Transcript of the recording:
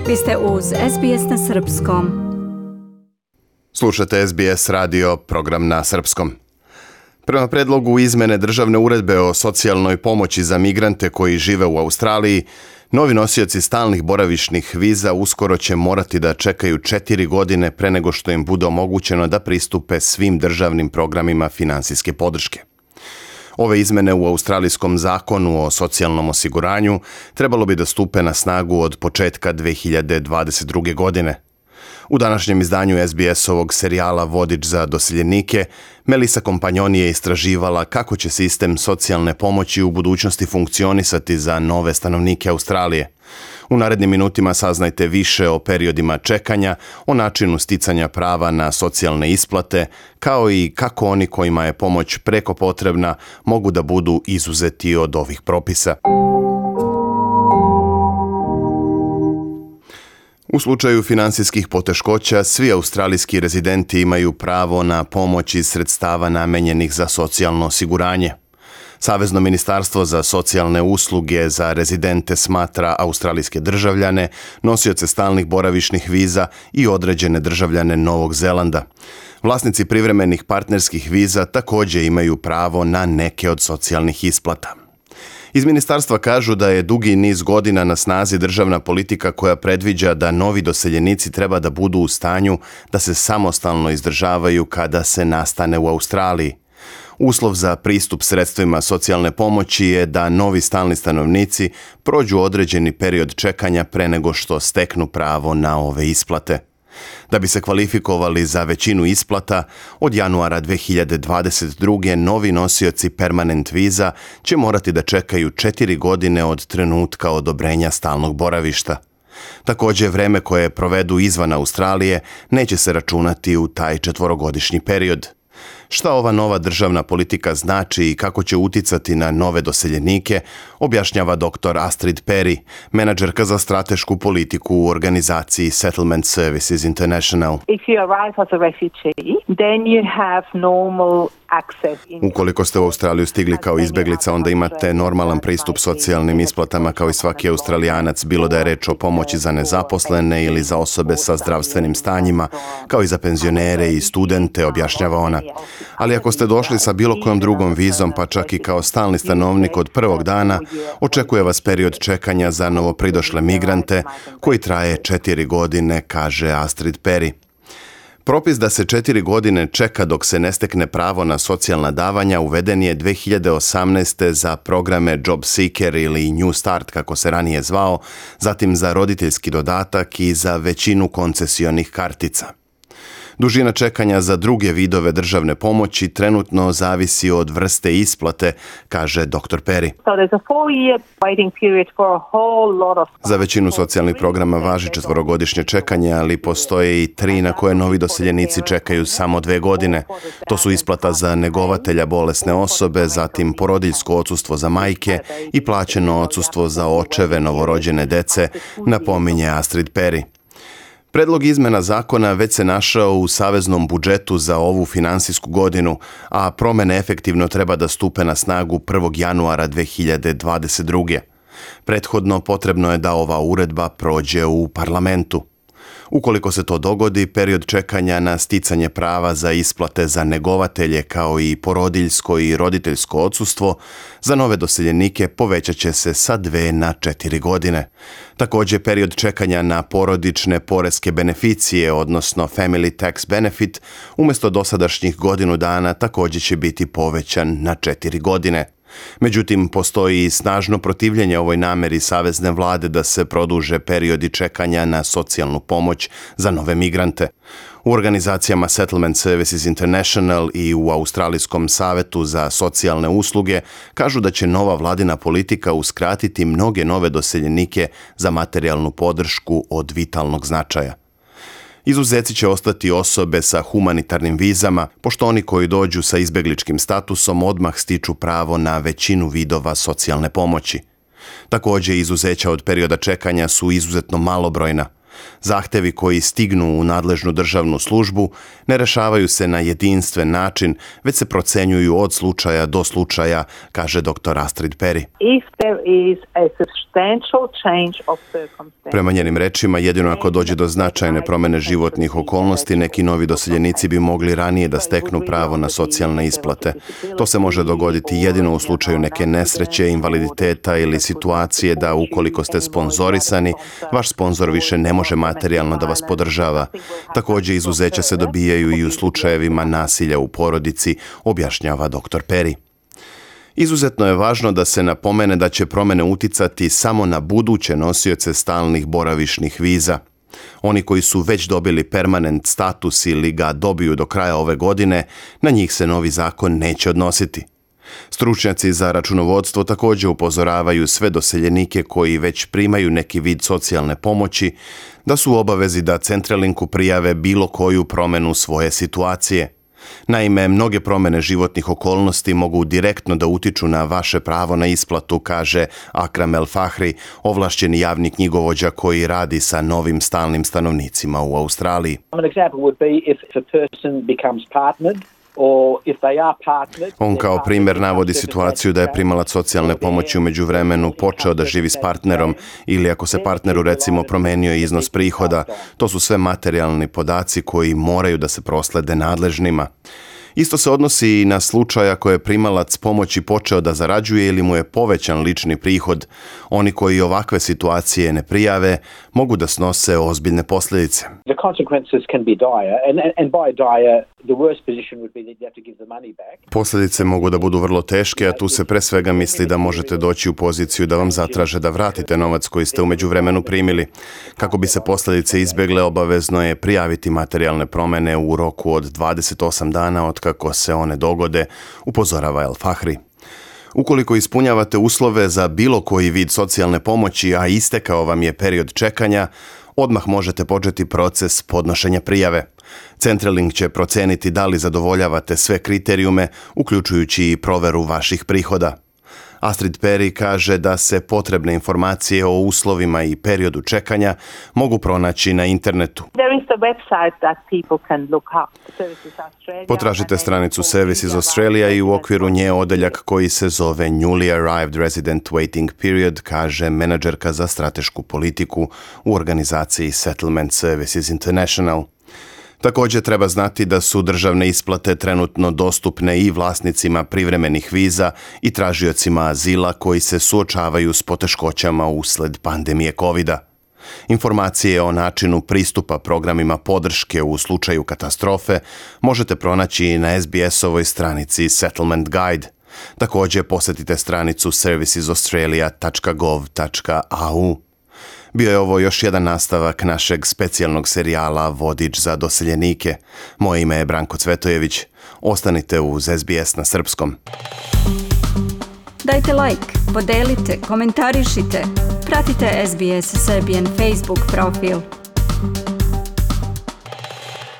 Vi ste uz SBS na Srpskom. Slušate SBS radio, program na srpskom. Prema predlogu izmene državne uredbe o socijalnoj pomoći za migrante koji žive u Australiji, novi nosioci stalnih boravišnih viza uskoro će morati da čekaju 4 godine pre nego što im bude omogućeno da pristupe svim državnim programima finansijske podrške. Ove izmene u australijskom zakonu o socijalnom osiguranju trebalo bi da stupe na snagu od početka 2022. godine. U današnjem izdanju SBS-ovog serijala Vodič za doseljenike, Melissa Kompanjoni je istraživala kako će sistem socijalne pomoći u budućnosti funkcionisati za nove stanovnike Australije. U narednim minutima saznajte više o periodima čekanja, o načinu sticanja prava na socijalne isplate, kao i kako oni kojima je pomoć preko potrebna mogu da budu izuzeti od ovih propisa. U slučaju finansijskih poteškoća, svi australijski rezidenti imaju pravo na pomoć iz sredstava namenjenih za socijalno osiguranje. Savezno ministarstvo za socijalne usluge za rezidente smatra australijske državljane, nosioce stalnih boravišnih viza i određene državljane Novog Zelanda. Vlasnici privremenih partnerskih viza također imaju pravo na neke od socijalnih isplata. Iz ministarstva kažu da je dugi niz godina na snazi državna politika koja predviđa da novi doseljenici treba da budu u stanju da se samostalno izdržavaju kada se nastane u Australiji. Uslov za pristup sredstvima socijalne pomoći je da novi stalni stanovnici prođu određeni period čekanja pre nego što steknu pravo na ove isplate. Da bi se kvalifikovali za većinu isplata, od januara 2022. novi nosioci permanent viza će morati da čekaju 4 godine od trenutka odobrenja stalnog boravišta. Također, vreme koje provedu izvan Australije neće se računati u taj 4-godišnji period. Šta ova nova državna politika znači i kako će uticati na nove doseljenike, objašnjava dr. Astrid Perry, menadžerka za stratešku politiku u organizaciji Settlement Services International. If you arrive as a refugee, then you have normal access. Ukoliko ste u Australiju stigli kao izbeglica, onda imate normalan pristup socijalnim isplatama kao i svaki Australijanac, bilo da je reč o pomoći za nezaposlene ili za osobe sa zdravstvenim stanjima, kao i za penzionere i studente, objašnjava ona. Ali ako ste došli sa bilo kojom drugom vizom, pa čak i kao stalni stanovnik od prvog dana, očekuje vas period čekanja za novopridošle migrante koji traje 4 godine, kaže Astrid Perry. Propis da se 4 godine čeka dok se ne stekne pravo na socijalna davanja uveden je 2018. za programe Job Seeker ili New Start, kako se ranije zvao, zatim za roditeljski dodatak i za većinu koncesionih kartica. Dužina čekanja za druge vidove državne pomoći trenutno zavisi od vrste isplate, kaže dr. Perry. Za većinu socijalnih programa važi 4-godišnje čekanje, ali postoje i 3 na koje novi doseljenici čekaju samo 2 godine. To su isplata za negovatelja bolesne osobe, zatim porodiljsko odsustvo za majke i plaćeno odsustvo za očeve novorođene dece, napominje Astrid Perry. Predlog izmena zakona već se našao u saveznom budžetu za ovu finansijsku godinu, a promene efektivno treba da stupe na snagu 1. januara 2022. Prethodno potrebno je da ova uredba prođe u parlamentu. Ukoliko se to dogodi, period čekanja na sticanje prava za isplate za negovatelje kao i porodiljsko i roditeljsko odsustvo za nove doseljenike povećat će se sa 2 na 4 godine. Također, period čekanja na porodične poreske beneficije, odnosno Family Tax Benefit, umjesto dosadašnjih godinu dana također će biti povećan na 4 godine. Međutim, postoji i snažno protivljenje ovoj nameri savezne vlade da se produže periodi čekanja na socijalnu pomoć za nove migrante. U organizacijama Settlement Services International i u Australijskom savetu za socijalne usluge kažu da će nova vladina politika uskratiti mnoge nove doseljenike za materijalnu podršku od vitalnog značaja. Izuzeci će ostati osobe sa humanitarnim vizama, pošto oni koji dođu sa izbegličkim statusom odmah stiču pravo na većinu vidova socijalne pomoći. Također, izuzeća od perioda čekanja su izuzetno malobrojna. Zahtevi koji stignu u nadležnu državnu službu ne rešavaju se na jedinstven način, već se procenjuju od slučaja do slučaja, kaže dr. Astrid Perry. Prema njenim rečima, jedino ako dođe do značajne promjene životnih okolnosti, neki novi doseljenici bi mogli ranije da steknu pravo na socijalne isplate. To se može dogoditi jedino u slučaju neke nesreće, invaliditeta ili situacije da ukoliko ste sponzorisani, vaš sponzor više ne može materijalno da vas podržava. Također, izuzeća se dobijaju i u slučajevima nasilja u porodici, objašnjava dr. Perry. Izuzetno je važno da se napomene da će promjene uticati samo na buduće nosioce stalnih boravišnih viza. Oni koji su već dobili permanent status ili ga dobiju do kraja ove godine, na njih se novi zakon neće odnositi. Stručnjaci za računovodstvo također upozoravaju sve doseljenike koji već primaju neki vid socijalne pomoći da su u obavezi da Centrelinku prijave bilo koju promjenu svoje situacije. Naime, mnoge promjene životnih okolnosti mogu direktno da utiču na vaše pravo na isplatu, kaže Akram El Fahri, ovlašćeni javni knjigovođa koji radi sa novim stalnim stanovnicima u Australiji. On kao primjer navodi situaciju da je primalac socijalne pomoći u međuvremenu počeo da živi s partnerom ili ako se partneru recimo promenio iznos prihoda. To su sve materijalni podaci koji moraju da se proslede nadležnima. Isto se odnosi i na slučaj ako je primalac pomoći počeo da zarađuje ili mu je povećan lični prihod. Oni koji ovakve situacije ne prijave mogu da snose ozbiljne posljedice. Posljedice mogu da budu vrlo teške, a tu se pre svega misli da možete doći u poziciju da vam zatraže da vratite novac koji ste u međuvremenu primili. Kako bi se posljedice izbjegle, obavezno je prijaviti materijalne promjene u roku od 28 dana od kako se one dogode, upozorava El Fahri. Ukoliko ispunjavate uslove za bilo koji vid socijalne pomoći, a istekao vam je period čekanja, odmah možete početi proces podnošenja prijave. Centrelink će proceniti da li zadovoljavate sve kriterijume, uključujući i proveru vaših prihoda. Astrid Perry kaže da se potrebne informacije o uslovima i periodu čekanja mogu pronaći na internetu. Potražite stranicu Services Australia i u okviru nje odeljak koji se zove Newly Arrived Resident Waiting Period, kaže menadžerka za stratešku politiku u organizaciji Settlement Services International. Također treba znati da su državne isplate trenutno dostupne i vlasnicima privremenih viza i tražiocima azila koji se suočavaju s poteškoćama usled pandemije COVID-a. Informacije o načinu pristupa programima podrške u slučaju katastrofe možete pronaći i na SBS-ovoj stranici Settlement Guide. Također posjetite stranicu servicesaustralia.gov.au. Bio je ovo još jedan nastavak našeg specijalnog serijala Vodič za doseljenike. Moje ime je Branko Cvetojević. Ostanite uz SBS na srpskom. Dajte like, podelite, komentarišite. Pratite SBS Serbian Facebook profil.